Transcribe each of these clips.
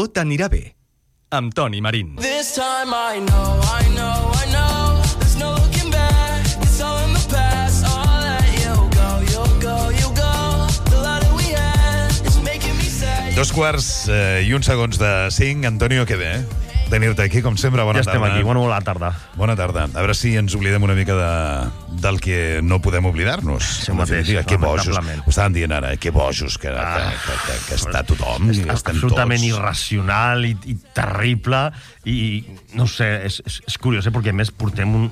Tot anirà bé, amb Toni Marín. This time I know there's no looking back. It's all in the past. I'll let you go. The love that we had is making me say. 2:01 Antonio, què bé, tenir-te aquí, com sempre. Bona tarda. Ja estem aquí, bona tarda. Bona tarda. A veure si ens oblidem una mica del que no podem oblidar-nos. Això mateix, que bojos. lamentablement. Ho estaven dient ara, que bojos que està tothom. És absolutament irracional i terrible i no ho sé, és curiós, perquè a més portem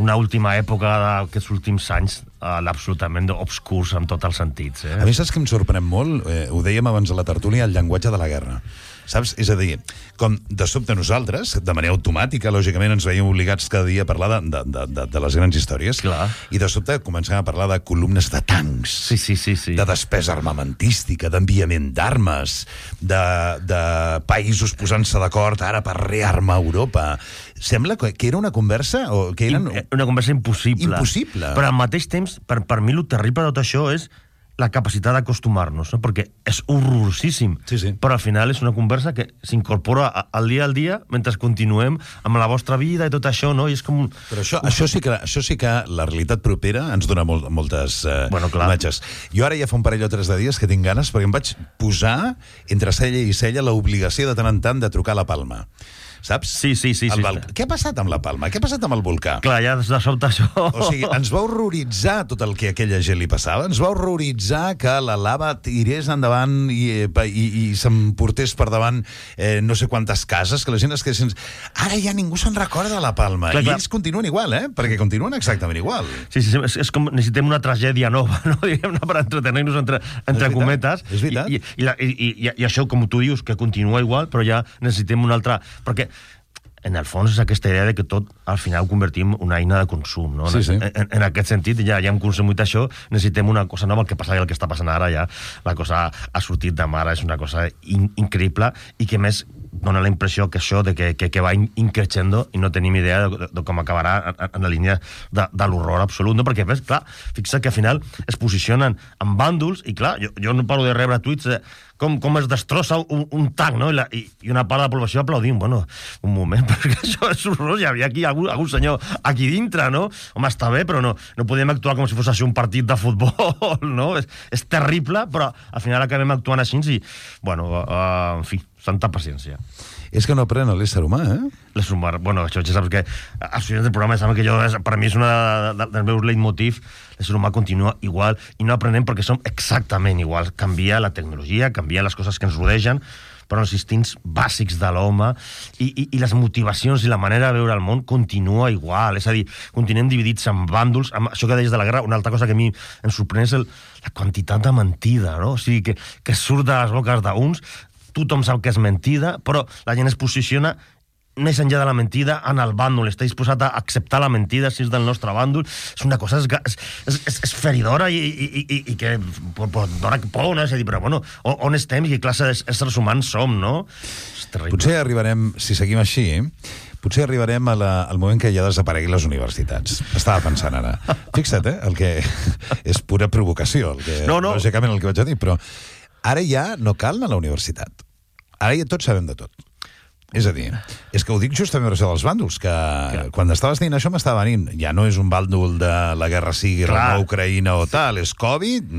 una última època d'aquests últims anys absolutament obscurs en tots els sentits. A mi saps que em sorprèn molt? Ho dèiem abans a la tertúlia, el llenguatge de la guerra. Saps? És a dir, com de sobte nosaltres, de manera automàtica, lògicament, ens veiem obligats cada dia a parlar de les grans històries. Clar. I de sobte comencem a parlar de columnes de tancs, sí. de despesa armamentística, d'enviament d'armes, de països posant-se d'acord ara per rearmar Europa. Sembla que era una conversa o que eren... Una conversa impossible. Impossible. Però al mateix temps, per mi, el terrible de tot això és la capacitat d'acostumar-nos, no? Perquè és horrorosíssim, sí. Però al final és una conversa que s'incorpora al dia mentre continuem amb la vostra vida i tot això, no? I és com... Però això sí que la realitat propera ens dona moltes imatges. Jo ara ja fa un parell o 3 de dies que tinc ganes, perquè em vaig posar entre cella i cella l'obligació de tant en tant de trucar a la Palma. Saps? Sí. Què ha passat amb la Palma? Què ha passat amb el volcà? Clar, ja de sobte això... O sigui, ens va horroritzar tot el que a aquella gent li passava. Ens va horroritzar que la lava tirés endavant i s'emportés per davant no sé quantes cases, que la gent es quedés... Ara ja ningú se'n recorda de la Palma. Clar. I ells continuen igual, perquè continuen exactament igual. Sí, és com necessitem una tragèdia nova, no? Diguem-ne, per entretenir-nos entre cometes. És veritat. I això, com tu dius, que continua igual, però ja necessitem una altra... Perquè en el fons és aquesta idea de que tot al final ho convertim en una eina de consum, no? Sí. En aquest sentit, ja hem consumit això, necessitem una cosa nova. El que passa i el que està passant ara ja, la cosa ha sortit de mare, és una cosa increïble i que més dona la impressió que això de que va increixendo i no tenim idea de com acabarà en la línia de l'horror absolut, no? Perquè, clar, fixa't que al final es posicionen en bàndols i, clar, jo no paro de rebre tuits com es destrossa un tanc, no? I una part de la població aplaudint. Bueno, un moment, perquè això és horrorós. Hi havia aquí algun senyor aquí dintre, no? Home, està bé, però no podem actuar com si fos així un partit de futbol, no? És terrible, però al final acabem actuant així i, bueno, en fi, santa paciència. És que no aprèn l'ésser humà, L'ésser humà, bueno, això ja saps que als finals del programa sembla que per mi és una dels meus leitmotiv. L'ésser humà continua igual i no aprenem perquè som exactament iguals. Canvia la tecnologia, canvia les coses que ens rodegen, però els instints bàsics de l'home i les motivacions i la manera de veure el món continua igual. És a dir, continuem dividits en bàndols. Això que deies de la guerra, una altra cosa que a mi em sorprèn és la quantitat de mentida, no? O sigui, que surt de les boques d'uns. Tothom sap que és mentida, però la gent es posiciona més enllà de la mentida en el bàndol, està disposat a acceptar la mentida si és del nostre bàndol. És una cosa és feridora i que dona por, no? És a dir, però bueno, on estem i què classe d'éssers humans som, no? És terrible. Potser arribarem, si seguim així, al moment que ja desapareguin les universitats. Estava pensant ara. Fixa't, el que és pura provocació, lògicament el que vaig a dir, però ara ja no cal anar a la universitat. Ara ja tots sabem de tot. És a dir, és que ho dic justament per això dels bàndols, que quan estaves dient això m'estava venint. Ja no és un bàndol de la guerra sigui a Ucraïna o tal, és Covid,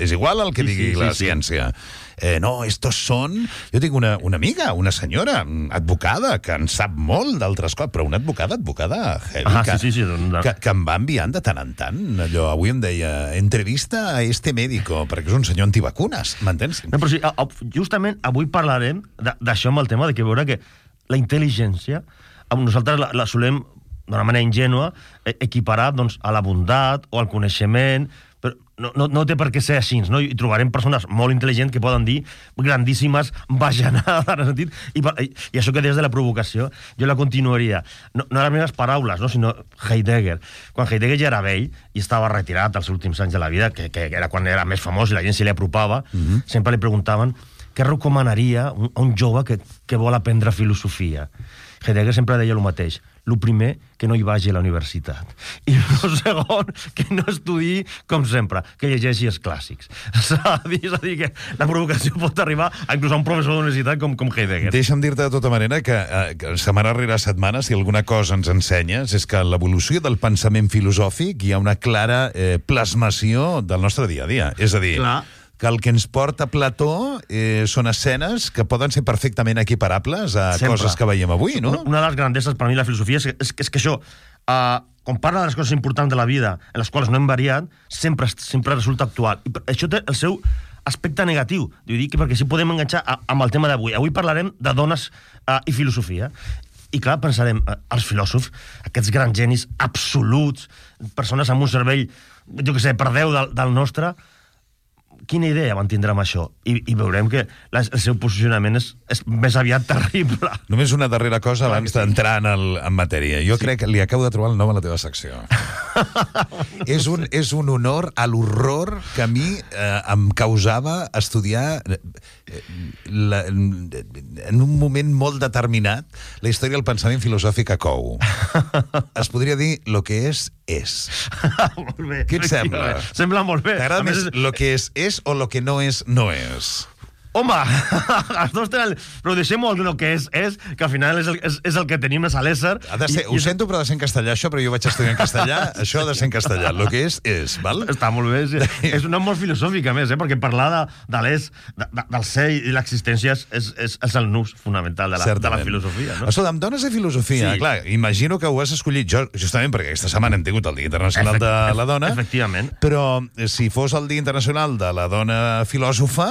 és igual el que digui la ciència. No, estos són... Jo tinc una amiga, una senyora advocada, que en sap molt d'altres coses, però una advocada heavy, que em va enviant de tant en tant. Allò, avui em deia, entrevista a este médico, perquè és un senyor antivacunes, m'entens? No, però sí, justament avui parlarem d'això amb el tema de que veure que la intel·ligència, nosaltres la solem, d'una manera ingènua, equiparar a la bondat o al coneixement, però no té per què ser així, no? I trobarem persones molt intel·ligents que poden dir grandíssimes bajanades, en el sentit, i això que deies de la provocació, jo la continuaria, no les meves paraules, no? Sinó Heidegger. Quan Heidegger ja era vell i estava retirat als últims anys de la vida, que era quan era més famós i la gent se li apropava, sempre li preguntaven què recomanaria a un jove que vol aprendre filosofia. Heidegger sempre deia el mateix: el primer, que no hi vagi a la universitat. I el segon, que no estudiï, com sempre, que llegeixi els clàssics. És a dir, que la provocació pot arribar a inclús a un professor d'universitat com Heidegger. Deixa'm dir-te de tota manera que setmana rere setmana, si alguna cosa ens ensenyes, és que en l'evolució del pensament filosòfic hi ha una clara plasmació del nostre dia a dia. És a dir, que el que ens porta Plató són escenes que poden ser perfectament equiparables a coses que veiem avui, no? Una de les grandesses per mi la filosofia és que això, quan parla de les coses importants de la vida, en les quals no hem variat, sempre resulta actual. I això té el seu aspecte negatiu, perquè sí podem enganxar amb el tema d'avui. Avui parlarem de dones i filosofia. I clar, pensarem, els filòsofs, aquests grans genis absoluts, persones amb un cervell, jo què sé, per 10 del nostre, quina idea van tindre amb això? I veurem que el seu posicionament és més aviat terrible. Només una darrera cosa abans d'entrar en matèria. Jo crec que li acabo de trobar el nom a la teva secció. És un honor a l'horror que a mi em causava estudiar en un moment molt determinat la història del pensament filosòfic a Cou. Es podria dir lo que és. Molt bé. Què et sembla? Sembla molt bé. T'agrada més lo que és o lo que no és, no és? Home, els dos tenen... Però deixem-ho el que és, que al final és el que tenim, és a l'ésser. Ho sento, però ha de ser en castellà, això, però jo vaig estudiar en castellà, això ha de ser en castellà. Lo que és, val? Està molt bé, sí. És una molt filosòfica, a més, perquè parlar de l'és, del ser i l'existència és el nus fonamental de la filosofia, no? Escolta, em dones de filosofia. Clar, imagino que ho has escollit jo, justament perquè aquesta setmana hem tingut el Dia Internacional de la Dona. Efectivament. Però si fos el Dia Internacional de la Dona Filòsofa,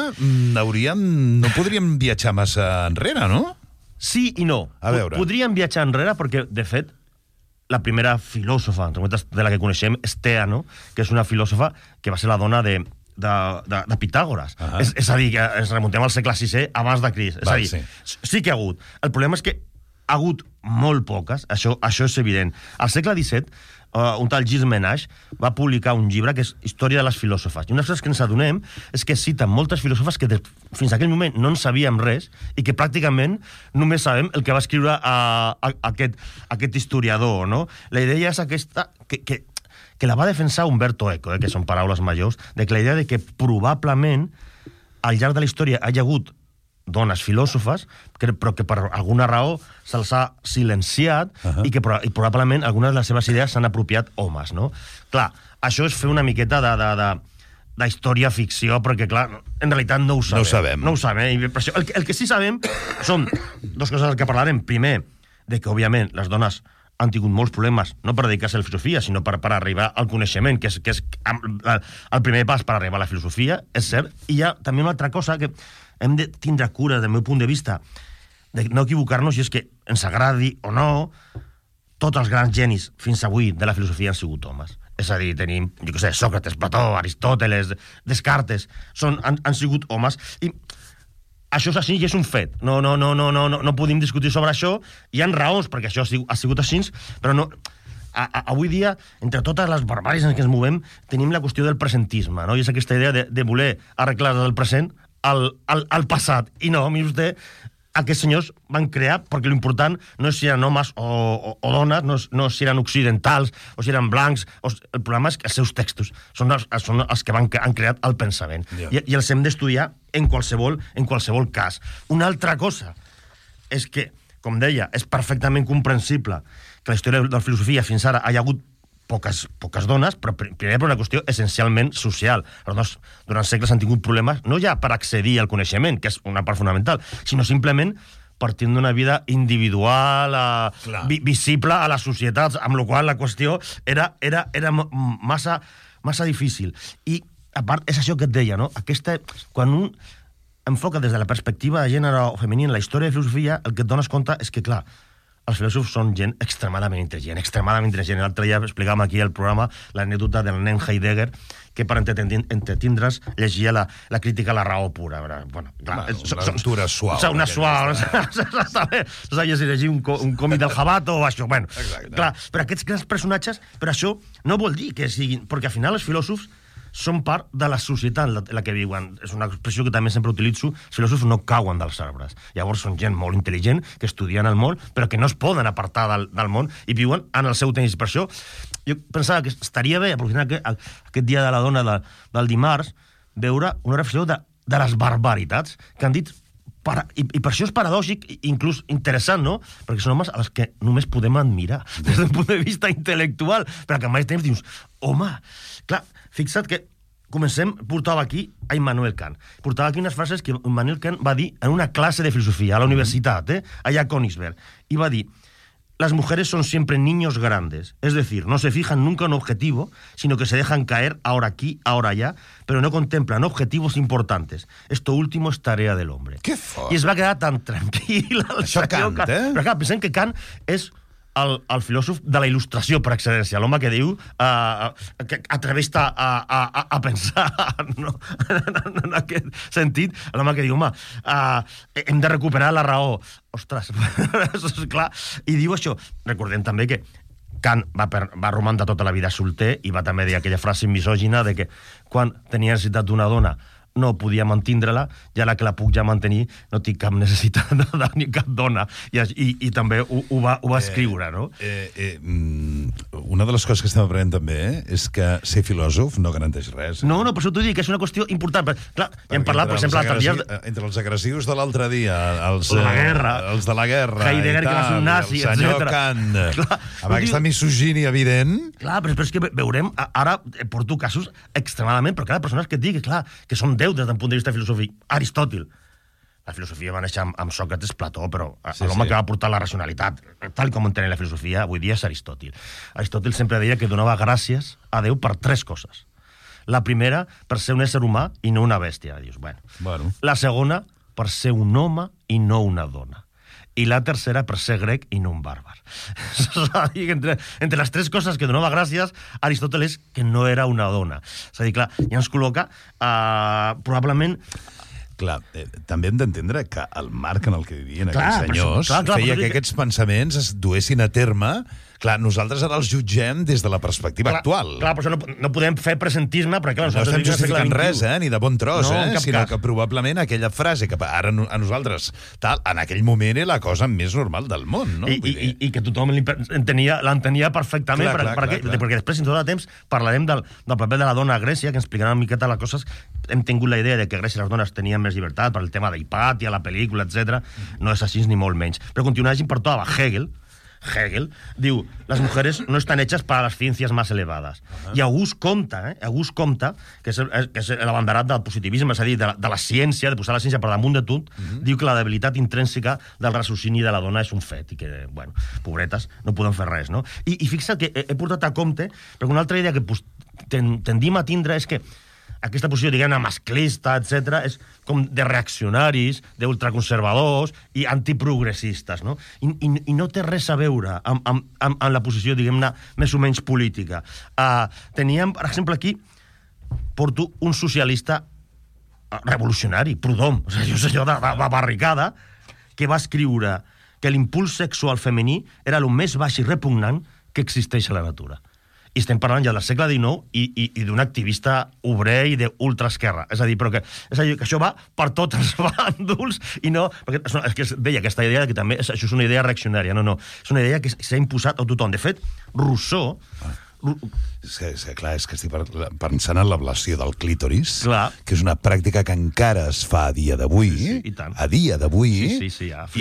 no podríem viatjar massa enrere, no? Sí i no. A veure. Podríem viatjar enrere perquè, de fet, la primera filòsofa de la que coneixem és Teano, que és una filòsofa que va ser la dona de Pitàgores. És a dir, que ens remuntem al segle VI abans de Crist. És a dir, sí que ha hagut. El problema és que ha hagut molt poques, això és evident. Al segle XVII, un tal Gilles Ménage va publicar un llibre que és Història de les filòsofes. I una cosa que ens adonem és que citen moltes filòsofes que fins a aquell moment no en sabíem res i que pràcticament només sabem el que va escriure aquest historiador, no? La idea és aquesta, que la va defensar Umberto Eco, que són paraules majors, de que la idea de que probablement al llarg de la història hi ha hagut dones filòsofes, però que per alguna raó se'ls ha silenciat i que probablement algunes de les seves idees s'han apropiat homes, no? Clar, això és fer una miqueta de història-ficció, perquè, clar, en realitat no ho sabem. No ho sabem. El que sí sabem són dues coses que parlarem. Primer, de que, òbviament, les dones han tingut molts problemes, no per dedicar-se a la filosofia, sinó per arribar al coneixement, que és el primer pas per arribar a la filosofia, és cert. I hi ha també una altra cosa que hem de tindre cura, del meu punt de vista, de no equivocar-nos, i és que ens agradi o no, tots els grans genis fins avui de la filosofia han sigut homes. És a dir, tenim, jo què sé, Sòcrates, Plató, Aristòteles, Descartes, han sigut homes, i això és així i és un fet. No podem discutir sobre això. Hi ha raons perquè això ha sigut així, però no... Avui dia, entre totes les barbàries en què ens movem, tenim la qüestió del presentisme, no? I és aquesta idea de voler arreglar del present al passat. I no, miri vostè, aquests senyors van crear, perquè l'important no és si eren homes o dones, no si eren occidentals o si eren blancs. El problema és que els seus textos són els que han creat el pensament. I els hem d'estudiar en qualsevol cas. Una altra cosa és que, com deia, és perfectament comprensible que la història de la filosofia fins ara hi ha hagut poques dones, però primer per una qüestió essencialment social. Les dones durant segles han tingut problemes, no ja per accedir al coneixement, que és una part fonamental, sinó simplement partint d'una vida individual, visible a les societats, amb la qual la qüestió era massa difícil. I, a part, és això que et deia, no? Quan un enfoca des de la perspectiva de gènere o femení en la història de filosofia, el que et dones compte és que, clar, els filòsofs són gent extremadament intel·ligent. L'altre dia explicàvem aquí al programa l'anècdota del nen Heidegger, que per entretindre's llegia la crítica a la raó pura. Bueno, clar, una lectura suau. Una suau. Sabia si llegir un còmic del Jabato o això. Bueno, clar, però aquests grans personatges, però això no vol dir que siguin... Perquè al final els filòsofs són part de la societat en la que viuen. És una expressió que també sempre utilitzo. Els filòsofs no cauen dels arbres. Llavors són gent molt intel·ligent, que estudien el món, però que no es poden apartar del món i viuen en el seu temps. Per això jo pensava que estaria bé, aprofitant aquest dia de la dona del dimarts, veure una reflexió de les barbaritats que han dit. I per això és paradòxic, inclús interessant, no? Perquè són homes als que només podem admirar des d'un punt de vista intel·lectual, però que al mateix temps dius, home, clar, fixa't que portava aquí a Immanuel Kant. Portava aquí unes frases que Immanuel Kant va dir en una clase de filosofia a la universitat, allà a Königsberg, i va dir: las mujeres son siempre niños grandes, es decir, no se fijan nunca en un objetivo, sino que se dejan caer ahora aquí, ahora allá, pero no contemplan objetivos importantes. Esto último es tarea del hombre. Que fort! I es va quedar tan tranquil. Això Kant, Però clar, pensem que Kant és el filòsof de la il·lustració per excel·lència, l'home que diu que atreveix-te a pensar, no? En aquest sentit, l'home que diu, home, hem de recuperar la raó. Ostres, és clar. I diu això. Recordem també que Kant va romandre tota la vida solter i va també dir aquella frase misògina de que quan tenia necessitat d'una dona no podia mantindre-la, i ara que la puc ja mantenir no tinc cap necessitat de ni cap dona. I també ho va escriure, no? Una de les coses que estem aprenent també és que ser filòsof no garanteix res. No, per això t'ho dic, que és una qüestió important. Però, clar, ja hem parlat, per exemple, entre els agressius de l'altre dia, els de la guerra, Heidegger, que va ser un nazi, el senyor Kant, amb aquesta misogínia evident. Clar, però és que veurem, ara porto casos extremadament, però clar, persones que et dic, clar, que són déus des d'un punt de vista filosòfic. Aristòtil. La filosofia va néixer amb Sòcrates, Plató, però l'home que va portar la racionalitat, tal com entenen la filosofia, avui dia és Aristòtil. Aristòtil sempre deia que donava gràcies a Déu per 3 coses. La primera, per ser un ésser humà i no una bèstia. Dius, bueno. La segona, per ser un home i no una dona. I la tercera, per ser grec i no un bàrbar. És a dir, entre les 3 coses que donava gràcies, Aristòteles que no era una dona. És a dir, clar, ja ens col·loca probablement... Clar, també hem d'entendre que el marc en el que vivien aquells senyors feia que aquests pensaments es duessin a terme. Clar, nosaltres ara els jutgem des de la perspectiva actual. Clar, però això no podem fer presentisme, perquè clar, no estem justificant res, ni de bon tros, sinó cas. que probablement aquella frase que ara a nosaltres, en aquell moment era la cosa més normal del món, no? I que tothom l'entenia perfectament, perquè després, en tot el temps, parlarem del paper de la dona a Grècia, que ens explicarà una miqueta les coses. Hem tingut la idea de que a Grècia les dones tenien més llibertat per el tema d'Hipàtia, la pel·lícula, etc. No és així ni molt menys. Però continuant, portava Hegel diu, las mujeres no están hechas para las ciencias más elevadas. I August Comte, que és l'abanderat del positivisme, és a dir, de la ciència, de posar la ciència per damunt de tot, diu que la debilitat intrínseca del raciocini de la dona és un fet, i que, bueno, pobretes, no poden fer res, no? I fixa't que he portat a Comte, perquè una altra idea que tendim a tindre és que aquesta posició, diguem-ne, masclista, etc., és com de reaccionaris, d'ultraconservadors i antiprogressistes, no? I no té res a veure amb la posició, diguem-ne, més o menys política. Teníem, per exemple, aquí, porto un socialista revolucionari, Proudhon, un senyor de barricada, que va escriure que l'impuls sexual femení era el més baix i repugnant que existeix a la natura. I estem parlant ja del segle XIX i d'un activista obrer i d'ultraesquerra. És a dir, que això va per tots els bàndols i no... Perquè és que deia aquesta idea que també això és una idea reaccionària. No. És una idea que s'ha imposat a tothom. De fet, Rousseau... Clar, és que estic pensant en l'ablació del clítoris, que és una pràctica que encara es fa a dia d'avui, i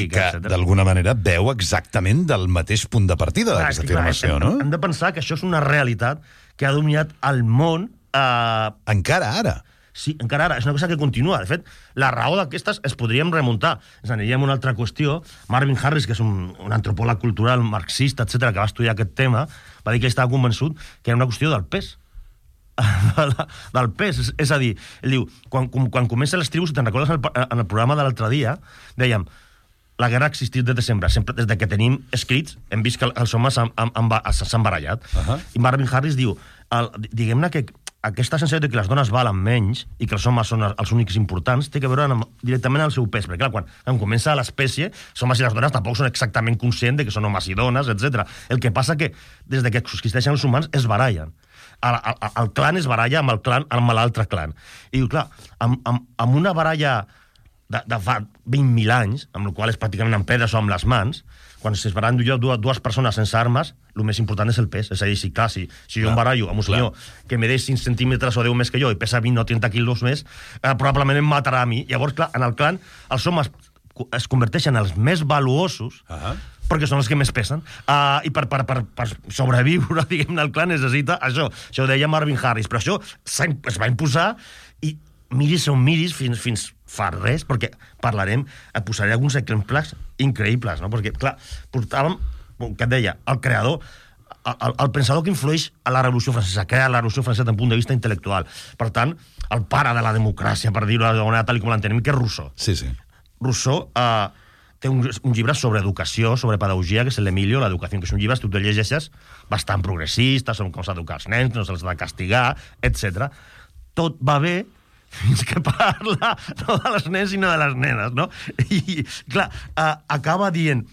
que d'alguna manera veu exactament del mateix punt de partida d'aquesta afirmació, no? Hem de pensar que això és una realitat que ha dominat el món... Encara ara. Sí, encara ara. És una cosa que continua. De fet, la raó d'aquestes es podríem remuntar. Ens aniríem a una altra qüestió. Marvin Harris, que és un antropòleg cultural, marxista, etc., que va estudiar aquest tema, va dir que estava convençut que era una qüestió del pes. Del pes. És a dir, ell diu, quan comencen les tribus, si te'n recordes en el programa de l'altre dia, dèiem, la guerra ha existit des de sempre. Sempre des que tenim escrits, hem vist que els homes s'han barallat. I Marvin Harris diu, diguem-ne que aquesta sensació de que les dones valen menys i que els homes són els únics importants té que veure directament amb el seu pes, perquè clar, quan comença l'espècie, els homes i les dones tampoc són exactament conscients de que són homes i dones, etc. El que passa que des de que existeixen els humans es barallen. El clan es baralla amb l'altre clan. I diu, clar, amb una baralla de fa 20.000 anys, amb la qual és pràcticament amb pedres o amb les mans, quan es barallen dues persones sense armes, el més important és el pes. És a dir, si jo em barallo amb un senyor que me deix 5 centímetres o 10 més que jo i pesa 20 o 30 quilos més, probablement em matarà a mi. Llavors, clar, en el clan, els homes es converteixen en els més valuosos perquè són els que més pesen. I per sobreviure, diguem-ne, el clan necessita això. Això ho deia Marvin Harris. Però això es va imposar i miris on miris fins fa res, perquè posaré alguns exemples increïbles, no? Perquè, clar, portàvem, que et deia, el creador, el pensador que influeix a la Revolució Francesa, crea la Revolució Francesa des d'un punt de vista intel·lectual. Per tant, el pare de la democràcia, per dir-ho d'alguna manera, tal com l'entenem, que és Rousseau. Sí, sí. Rousseau té un llibre sobre educació, sobre pedagogia, que és l'Emilio, l'educació, que és un llibre, si tu el llegeixes, bastant progressista, sobre com s'ha d'educar els nens, no se'ls ha de castigar, etc. Tot va bé fins que parla no de les nens sinó de les nenes, ¿no? Y, clar, acaba dient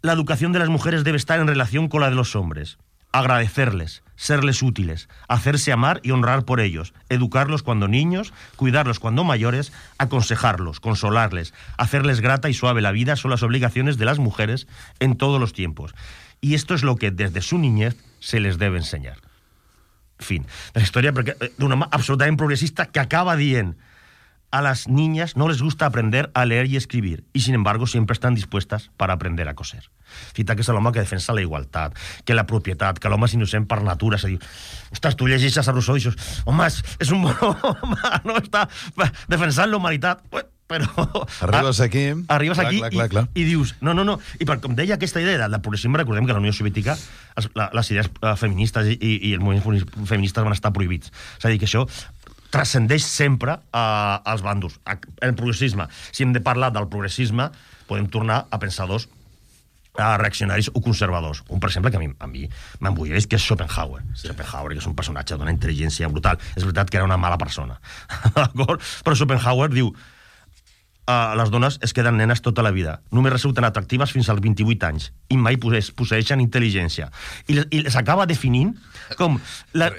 la educación de las mujeres debe estar en relación con la de los hombres. Agradecerles, serles útiles, hacerse amar y honrar por ellos, educarlos cuando niños, cuidarlos cuando mayores, aconsejarlos, consolarles, hacerles grata y suave la vida son las obligaciones de las mujeres en todos los tiempos. Y esto es lo que desde su niñez se les debe enseñar. Fin. La història d'una mà absolutament progressista que acaba dient a las niñas no les gusta aprender a leer y escribir y sin embargo siempre están dispuestas para aprender a coser. Fita que és l'home que defensa la igualtat, que la propietat, que l'home és innocent per natura. És a dir, ostres, tu llegeixes a Rousseau i dius, home, és un bon home, no està defensant la humanitat. Però... Arribes aquí... Arribes aquí i dius... No. I com deia aquesta idea del progressisme, recordem que a la Unió Soviètica les idees feministes i els moviments feministes van estar prohibits. És a dir, que això transcendeix sempre als bàndols. El progressisme, si hem de parlar del progressisme, podem tornar a pensadors reaccionaris o conservadors. Un, per exemple, que a mi m'embulleix, que és Schopenhauer. Sí. Schopenhauer, que és un personatge d'una intel·ligència brutal. És veritat que era una mala persona. D'acord? Però Schopenhauer diu les dones es queden nenes tota la vida. Només resulten atractives fins als 28 anys i mai posseeixen intel·ligència. I les acaba definint com...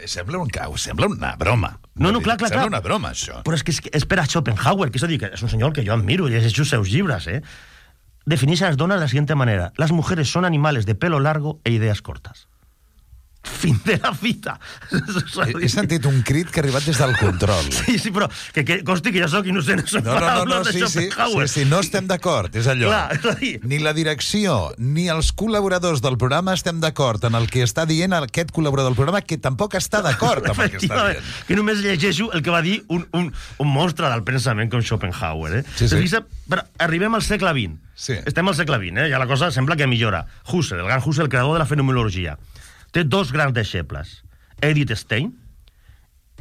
Sembla una broma. No, clar. Sembla una broma, això. Però és que és per a Schopenhauer, que és a dir, que és un senyor que jo admiro, llegeixo els seus llibres, Defineix a las donas de la siguiente manera. Las mujeres son animales de pelo largo e ideas cortas. Fin de la fita. He sentit un crit que ha arribat des del control. Sí, però que consti que jo soc innocent. Sí, no estem d'acord, és allò. Clar, és a dir... Ni la direcció, ni els col·laboradors del programa estem d'acord en el que està dient aquest col·laborador del programa, que tampoc està d'acord amb el que està dient. Que només llegeixo el que va dir un monstre del pensament com Schopenhauer. Sí. Però arribem al segle XX. Sí. Estem al segle XX, ja la cosa sembla que millora. Husserl, el gran Husserl, el creador de la fenomenologia. Té dos grans deixebles, Edith Stein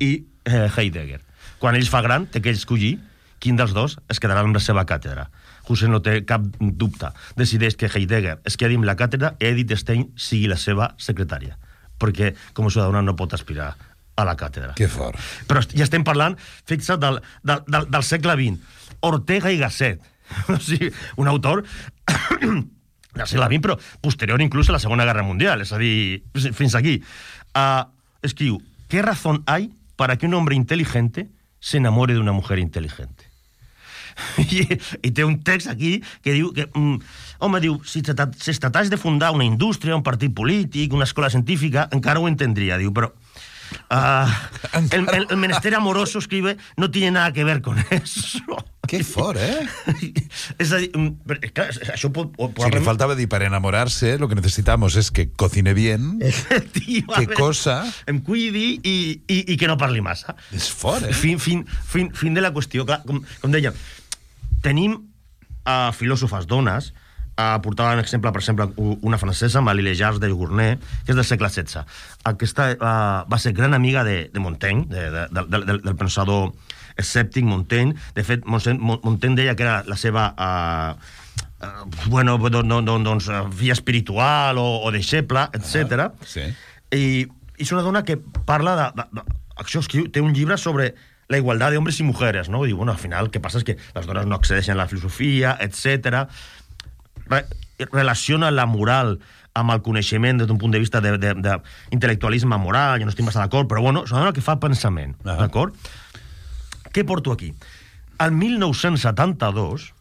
i Heidegger. Quan ell fa gran, té que escollir quin dels dos es quedarà amb la seva càtedra. Husserl no té cap dubte. Decideix que Heidegger es quedi amb la càtedra i Edith Stein sigui la seva secretària. Perquè, com a ciutadana, no pot aspirar a la càtedra. Que fort. Però ja estem parlant, fixa't, del segle XX. Ortega y Gasset. O sigui, un autor... del segle XX, però posterior inclús a la Segona Guerra Mundial, és a dir, fins aquí. Escriu, ¿qué razón hay para que un hombre inteligente se enamore de una mujer inteligente? I té un text aquí que diu que, home, diu, si es tratàs de fundar una indústria, un partit polític, una escola científica, encara ho entendria, diu, però el menester amoroso, escribe, no tiene nada que ver con eso. Que fort, És a dir, això pot... Si le faltava dir, per enamorarse, lo que necesitamos es que cocine bien, que cosa... Em cuidi i que no parli massa. És fort, Fin de la qüestió. Clar, com dèiem, tenim filòsofes dones. Portava un exemple, per exemple, una francesa, Marie Legage de Gournay, que és del segle XVI. Aquesta va ser gran amiga de Montaigne, del pensador escèptic Montaigne. De fet, Montaigne deia que era la seva filla espiritual o deixeble, etc. Sí. I és una dona que parla això escriu, té un llibre sobre la igualdad de hombres y mujeres, no? I diu, bueno, al final, el que passa és que les dones no accedeixen a la filosofia, etc. Relaciona la moral amb el coneixement des d'un punt de vista d'intel·lectualisme moral, jo no estic massa d'acord, però bueno, és una dona que fa pensament, d'acord? Què porto aquí? El 1972,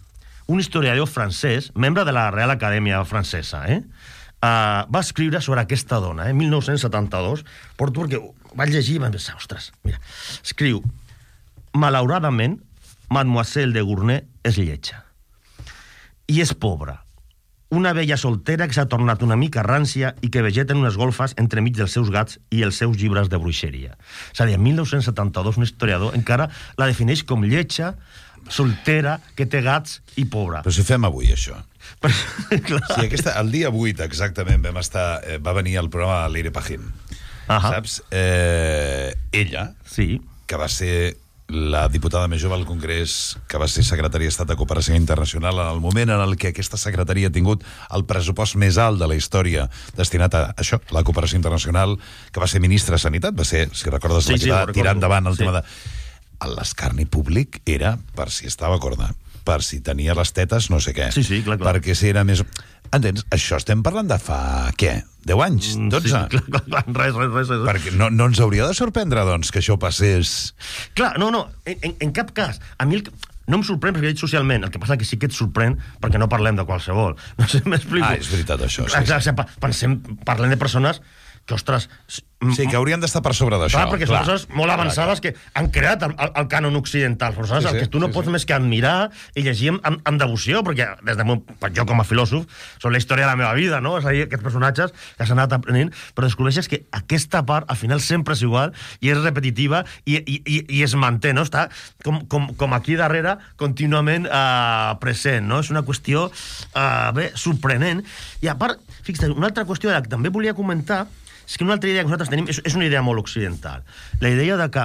un historiador francès, membre de la Real Acadèmia Francesa, va escriure sobre aquesta dona, 1972, porto perquè vaig llegir i vaig pensar, ostres, mira, escriu, malauradament, Mademoiselle de Gournay és lletja i és pobra. Una vella soltera que s'ha tornat una mica rància i que vegeta en unes golfes entremig dels seus gats i els seus llibres de bruixeria. És a dir, en 1972 un historiador encara la defineix com lletja, soltera, que té gats i pobra. Però si fem avui això. Sí, el dia 8 exactament va venir al programa Leire Pajín. Saps? Ella, que va ser la diputada més jove al Congrés, que va ser secretària d'Estat de Cooperació Internacional en el moment en el que aquesta secretaria ha tingut el pressupost més alt de la història destinat a això, la cooperació internacional, que va ser ministra de Sanitat, va ser, si recordes, la que va tirar endavant el tema de... L'escarni públic era per si estava corda, per si tenia les tetes no sé què, clar. Perquè si era més... Entens? Això estem parlant de fa, què? 10 anys? 12? Sí, clar, res. Perquè no ens hauria de sorprendre, doncs, que això passés... Clar, no, en cap cas. A mi no em sorprèn perquè he dit socialment, el que passa que sí que et sorprèn perquè no parlem de qualsevol. No sé si m'explico. És veritat, això. Parlem de persones que, ostres... Sí, que haurien d'estar per sobre d'això. Perquè són persones molt avançades que han creat el cànon occidental. Persones el que tu no pots més que admirar i llegir amb devoció, perquè jo com a filòsof són la història de la meva vida, no? És a dir, aquests personatges que s'han anat aprenent, però descobreixes que aquesta part al final sempre és igual i és repetitiva i es manté, no? Està com aquí darrere contínuament present, no? És una qüestió sorprenent. I a part, fixa't, una altra qüestió que també volia comentar és que una altra idea que nosaltres tenim és una idea molt occidental. La idea de que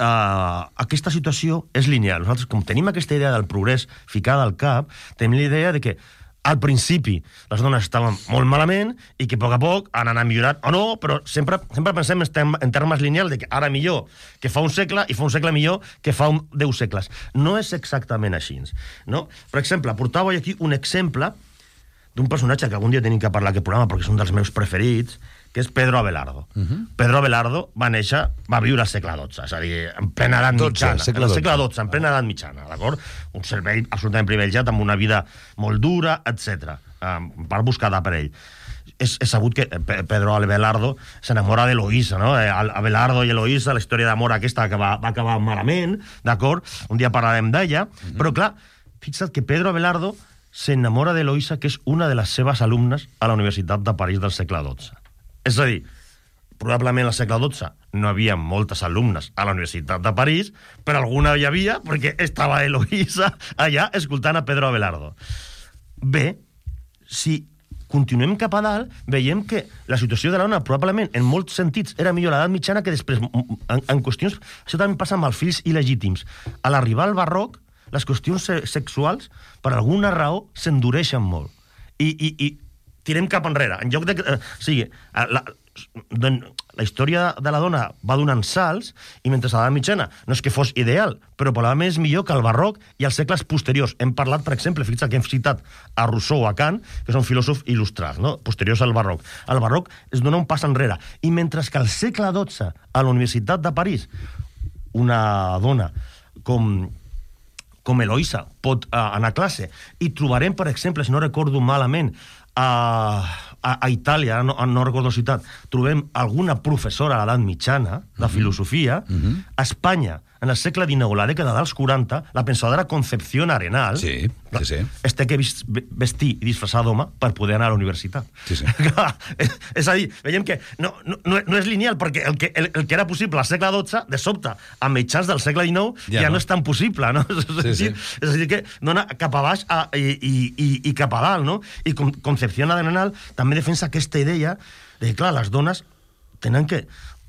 aquesta situació és lineal. Nosaltres, com tenim aquesta idea del progrés ficada al cap, tenim la idea de que al principi les dones estaven molt malament i que a poc han anat millorant, o no, però sempre pensem en termes lineals de que ara millor que fa un segle i fa un segle millor que fa 10 segles. No és exactament així, no? Per exemple, portava aquí un exemple d'un personatge que algun dia tenim que parlar aquest programa perquè és un dels meus preferits, que és Pedro Abelardo. Pedro Abelardo va viure al segle XII, és a dir, en plena edat mitjana. Segle XII, en plena edat mitjana, d'acord? Un cervell absolutament privilegiat, amb una vida molt dura, etc. Per buscada per ell. És sabut que Pedro Abelardo s'enamora d'Eloïsa, no? Abelardo i Eloïsa, la història d'amor aquesta que va acabar malament, d'acord? Un dia parlarem d'ella, però clar, fixa't que Pedro Abelardo s'enamora d'Eloïsa, que és una de les seves alumnes a la Universitat de París del segle XII. És a dir, probablement al segle XII no havia moltes alumnes a la Universitat de París, però alguna hi havia perquè estava Eloïsa allà escoltant a Pedro Abelardo. Bé, si continuem cap a dalt, veiem que la situació de la dona probablement en molts sentits era millor a l'edat mitjana que després, en qüestions... Això també passa amb els fills il·legítims. A l'arribar al barroc, les qüestions sexuals, per alguna raó, s'endureixen molt. I tirem cap enrere. En lloc de... La història de la dona va donant salts, i mentre a l'edat mitjana no és que fos ideal, però probablement és millor que el barroc i els segles posteriors. Hem parlat, per exemple, fixa't que hem citat a Rousseau o a Kant, que són filòsofs il·lustrats, no? Posteriors al barroc. El barroc es dona un pas enrere. I mentre que al segle XII, a la Universitat de París, una dona com Eloïsa pot anar a classe, i trobarem, per exemple, si no recordo malament, a Itàlia, no recordo la ciutat, trobem alguna professora a l'edat mitjana de filosofia. A Espanya, en el segle XIX, la dècada dels 40, la pensadora Concepción Arenal es té que vestir i disfressar d'home per poder anar a la universitat. És a dir, veiem que no és lineal, perquè el que era possible al segle XII, de sobte, a mitjans del segle XIX, ja no és tan possible, no? És a dir, que dona cap a baix i cap a dalt, no? I Concepción Arenal també defensa aquesta idea de que, clar, les dones tenen que,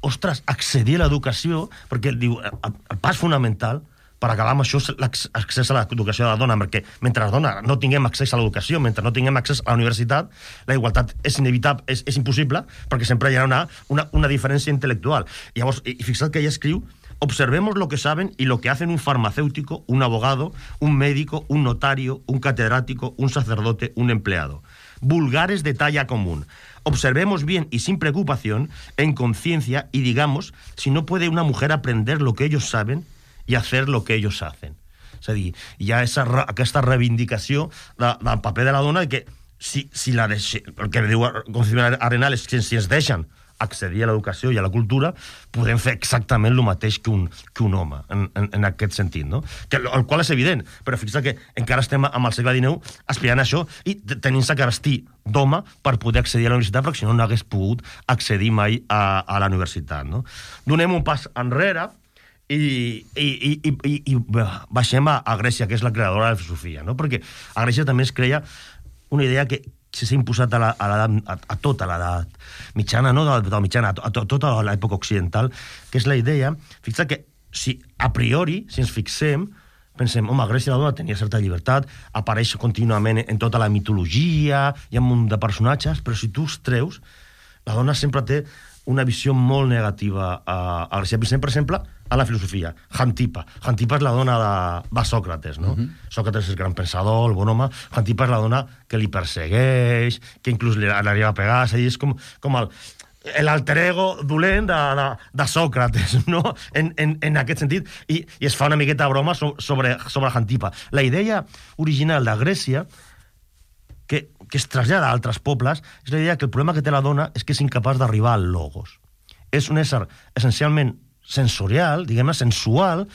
ostres, accedir a l'educació, perquè diu, el pas fonamental per acabar amb això l'accés a l'educació de la dona, perquè mentre la dona no tinguem accés a l'educació, mentre no tinguem accés a la universitat, la igualtat és inevitable, és impossible, perquè sempre hi ha una diferència intel·lectual. I llavors, i fixa't que ella escriu: observemos lo que saben y lo que hacen un farmacéutico, un abogado, un médico, un notario, un catedrático, un sacerdote, un empleado. Vulgares de talla común. Observemos bien y sin preocupación, en conciencia, y digamos si no puede una mujer aprender lo que ellos saben i hacer lo que ellos hacen. És a dir, hi ha aquesta reivindicació del paper de la dona, que si el que diu Concepción Arenal és que si ens deixen accedir a l'educació i a la cultura, podem fer exactament el mateix que un home, en aquest sentit, no? El qual és evident, però fixa't que encara estem amb el segle XIX aspirant a això i tenint-se que vestir d'home per poder accedir a la universitat, perquè si no hagués pogut accedir mai a la universitat, no? Donem un pas enrere i baixem a Grècia, que és la creadora de la filosofia, no? Perquè a Grècia també es creia una idea que s'ha imposat a tota l'edat mitjana, no de la mitjana, a tota l'època occidental, que és la idea, fixa't que si a priori, si ens fixem, pensem, home, a Grècia la dona tenia certa llibertat, apareix contínuament en tota la mitologia, hi ha un munt de personatges, però si tu els treus, la dona sempre té una visió molt negativa a Grècia. Per exemple, a la filosofia. Xantipa. Xantipa és la dona de Sòcrates, no? Sòcrates és el gran pensador, el bon home. Xantipa és la dona que li persegueix, que inclús li arriba a pegar. És a dir, és com l'alter ego dolent de Sòcrates, no? En aquest sentit. I es fa una miqueta broma sobre Xantipa. La idea original de Grècia, que es trasllada a altres pobles, és la idea que el problema que té la dona és que és incapaç d'arribar al logos. És un ésser essencialment sensorial, diguem-ne, sensual,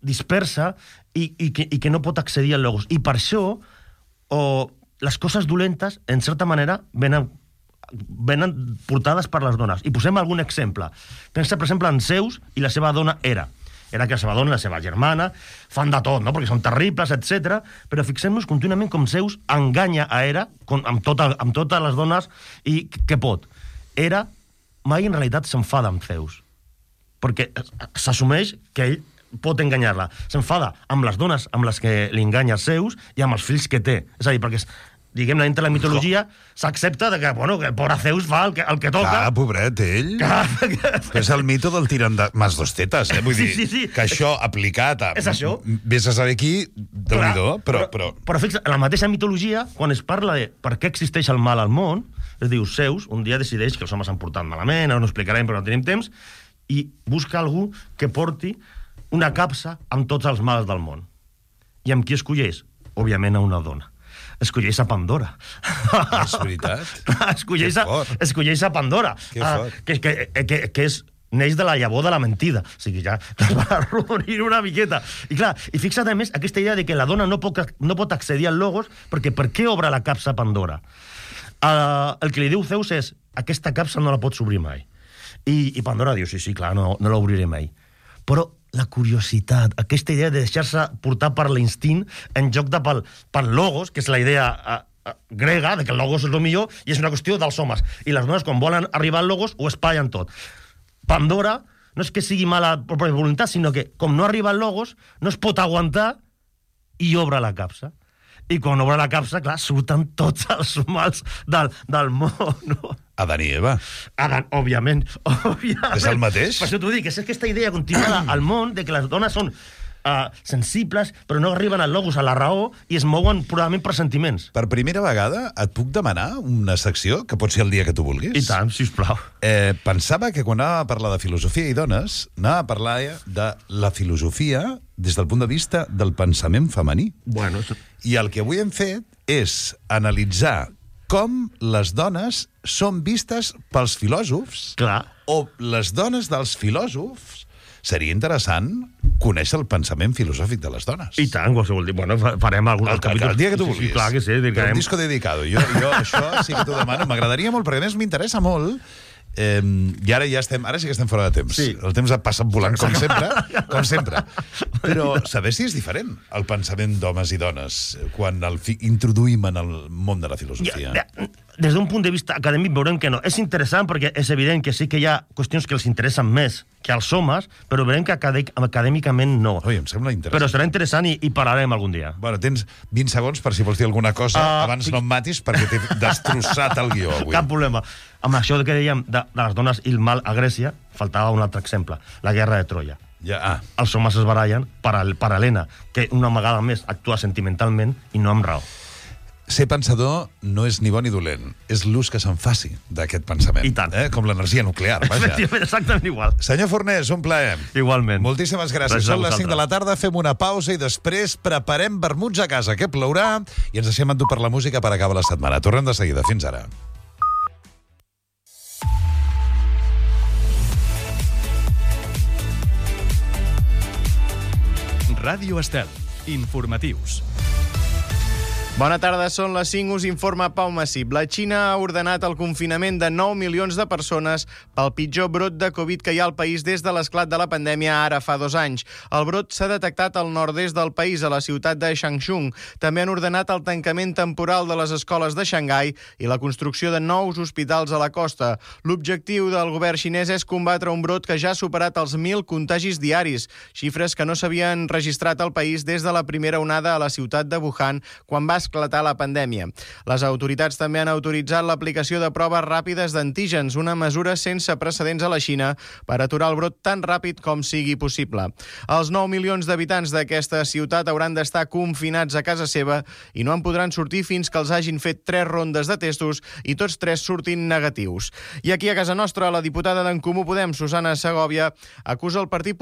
dispersa, i que no pot accedir al logos. I per això, les coses dolentes, en certa manera, venen portades per les dones. I posem algun exemple. Pensa, per exemple, en Zeus i la seva dona Hera. Era que la seva dona i la seva germana fan de tot, no? Perquè són terribles, etc. Però fixem-nos contínuament com Zeus enganya a Hera amb totes les dones i què pot. Hera mai en realitat s'enfada amb Zeus, perquè s'assumeix que ell pot enganyar-la. S'enfada amb les dones amb les que li enganya Zeus i amb els fills que té. És a dir, perquè diguem-ne, entre la mitologia s'accepta que el pobre Zeus fa el que toca. Clar, pobret, ell. És el mito del tirant de mas dos tetes, Vull dir, que això aplicat a... És això. Vés a saber qui, déu-n'hi-do, però... Però fixa, en la mateixa mitologia, quan es parla de per què existeix el mal al món, es diu Zeus, un dia decideix que els homes s'han portat malament, ara no ho explicarem, però no tenim temps, i busca algú que porti una capsa amb tots els mals del món. I amb qui escolleix? Òbviament a una dona. Escolleix a Pandora. És veritat. Escolleix a Pandora. Que neix de la llavor de la mentida. O sigui, ja es va arrodonir una miqueta. I clar, i fixa't a més aquesta idea de que la dona no pot accedir al logos, perquè per què obre la capsa a Pandora? El que li diu Zeus és: aquesta capsa no la pots obrir mai. I Pandora diu: sí, clar, no l'obriré mai. Però la curiositat, aquesta idea de deixar-se portar per l'instint en lloc de pel logos, que és la idea grega, de que el logos és el millor, i és una qüestió dels homes. I les dones, quan volen arribar al logos, ho espatllen tot. Pandora no és que sigui mala per voluntat, sinó que, com no arriba al logos, no es pot aguantar i obre la capsa. I quan obre la capsa, clar, surten tots els mals del món, no? Adán i Eva. Òbviament. És el mateix? Per això t'ho dic, és aquesta idea continuada al món de que les dones són sensibles, però no arriben al logos, a la raó, i es mouen purament per sentiments. Per primera vegada et puc demanar una secció, que pot ser el dia que tu vulguis? I tant, sisplau. Pensava que quan anava a parlar de filosofia i dones, anava a parlar de la filosofia des del punt de vista del pensament femení. Bueno, I el que avui hem fet és analitzar com les dones són vistes pels filòsofs. Clar. O les dones dels filòsofs. Seria interessant conèixer el pensament filosòfic de les dones. I tant, qualsevol dia. Bueno, farem algun capítol. El dia que tu vulguis. Sí, clar que sí. Un disco dedicado. Jo això sí que t'ho demano. M'agradaria molt, perquè a més m'interessa molt. I ara sí que estem fora de temps. Sí. El temps ha passat volant, com sempre. Però saber si és diferent el pensament d'homes i dones quan introduïm en el món de la filosofia. des d'un punt de vista acadèmic veurem que no. És interessant perquè és evident que sí que hi ha qüestions que els interessen més que als homes, però veurem que acadèmicament no. Ui, em sembla interessant. Però serà interessant i parlarem algun dia. Bueno, tens 20 segons per si vols dir alguna cosa abans no em matis perquè t'he destrossat el guió avui. Cap problema. Amb això que dèiem de les dones i el mal a Grècia, faltava un altre exemple, la guerra de Troia. Els homes es barallen per Helena, que una vegada més actua sentimentalment i no amb raó. Ser pensador no és ni bo ni dolent, és l'ús que se'n faci d'aquest pensament. I tant. Com l'energia nuclear, vaja. Efectivament, exactament igual. Senyor Fornés, un plaer. Igualment. Moltíssimes gràcies. Són les 5 de la tarda, fem una pausa i després preparem vermuts a casa, que plourà, i ens deixem endur per la música per acabar la setmana. Tornem de seguida. Fins ara. Ràdio Estel. Informatius. Bona tarda, són les 5, us informa Pau Massip. La Xina ha ordenat el confinament de 9 milions de persones pel pitjor brot de Covid que hi ha al país des de l'esclat de la pandèmia ara fa 2 anys. El brot s'ha detectat al nord-est del país, a la ciutat de Changchun. També han ordenat el tancament temporal de les escoles de Xangai i la construcció de nous hospitals a la costa. L'objectiu del govern xinès és combatre un brot que ja ha superat els 1.000 contagis diaris, xifres que no s'havien registrat al país des de la primera onada a la ciutat de Wuhan, quan va esclatar la pandèmia. Les autoritats també han autoritzat l'aplicació de proves ràpides d'antígens, una mesura sense precedents a la Xina per aturar el brot tan ràpid com sigui possible. Els 9 milions d'habitants d'aquesta ciutat hauran d'estar confinats a casa seva i no en podran sortir fins que els hagin fet 3 rondes de testos i tots 3 surtin negatius. I aquí a casa nostra, la diputada d'en Comú Podem, Susana Segovia, acusa el Partit Popular